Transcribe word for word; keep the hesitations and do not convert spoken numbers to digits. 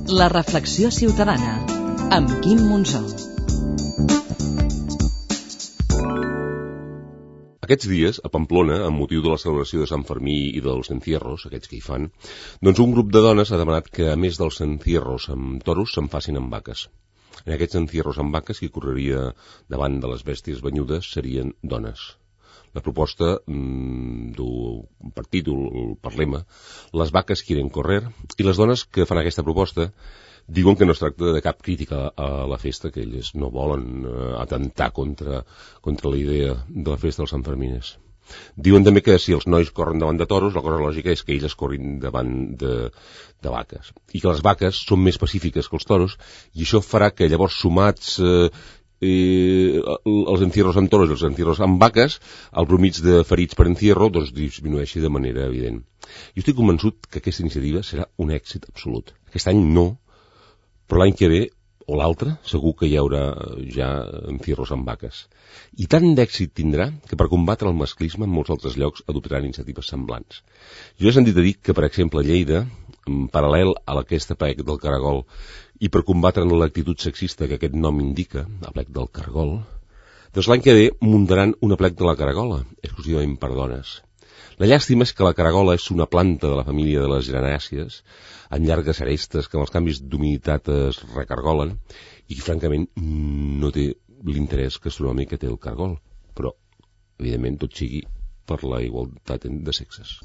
La reflexió ciutadana amb Quim Monzó. Aquests dies, a Pamplona, amb motiu de la celebració de Sant Fermí i dels encierros, aquests que hi fan, doncs un grup de dones ha demanat que, a més dels encierros amb toros, se'n facin amb vaques. En aquests encierros amb vaques, qui correria davant de les bèsties banyudes serien dones. La proposta mmm, du per títol, per lema, les vaques quieren correr, i les dones que fan aquesta proposta diuen que no es tracta de cap crítica a la festa, que elles no volen eh, atentar contra, contra la idea de la festa dels Sanfermines. Diuen també que si els nois corren davant de toros, la cosa lògica és que ells corrin davant de, de vaques. I que les vaques són més pacífiques que els toros, i això farà que llavors sumats eh, eh, els encierros amb toros i els encierros amb vaques, el promig de ferits per encierro doncs, disminueixi de manera evident. Jo estic convençut que aquesta iniciativa serà un èxit absolut. Aquest any no, però l'any que ve, o l'altre, segur que hi haurà ja encierros amb vaques. I tant d'èxit tindrà que per combatre el masclisme en molts altres llocs adoptaran iniciatives semblants. Jo he sentit a dir que, per exemple, a Lleida, en paral·lel a aquesta plec del caragol, i per combatre l'actitud sexista que aquest nom indica, la plec del caragol, doncs l'any que ve muntaran una plec de la caragola, exclusivament per dones. La llàstima és que la caragola és una planta de la família de les geranàcies, amb llargues arestes que amb els canvis d'humiditat es recargolen i que, francament, no té l'interès gastronòmic que té el cargol. Però, evidentment, tot sigui per la igualtat de sexes.